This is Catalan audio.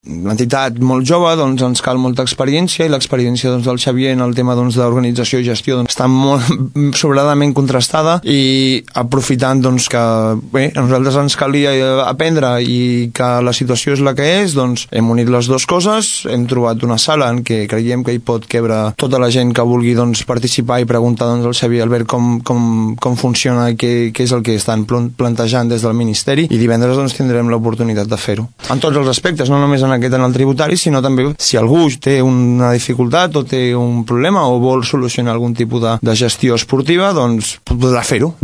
l'entitat molt jove, doncs ens cal molta experiència, i l'experiència del Xavier en el tema d'organització i gestió està molt sobradament contrastada, i aprofitant que bé, a nosaltres ens calia aprendre i que la situació és la que és, doncs hem unit les dues coses, hem trobat una sala en què creiem que hi pot quebre tota la gent que vulgui participar i preguntar al Xavier Albert com funciona i què és el que estan plantejant des del Ministeri, i divendres tindrem l'oportunitat de fer-ho. En tots els aspectes, no només en el tributari, sinó també si algú té una dificultat o té un problema o vol solucionar algun tipus de gestió esportiva, doncs podrà fer-ho.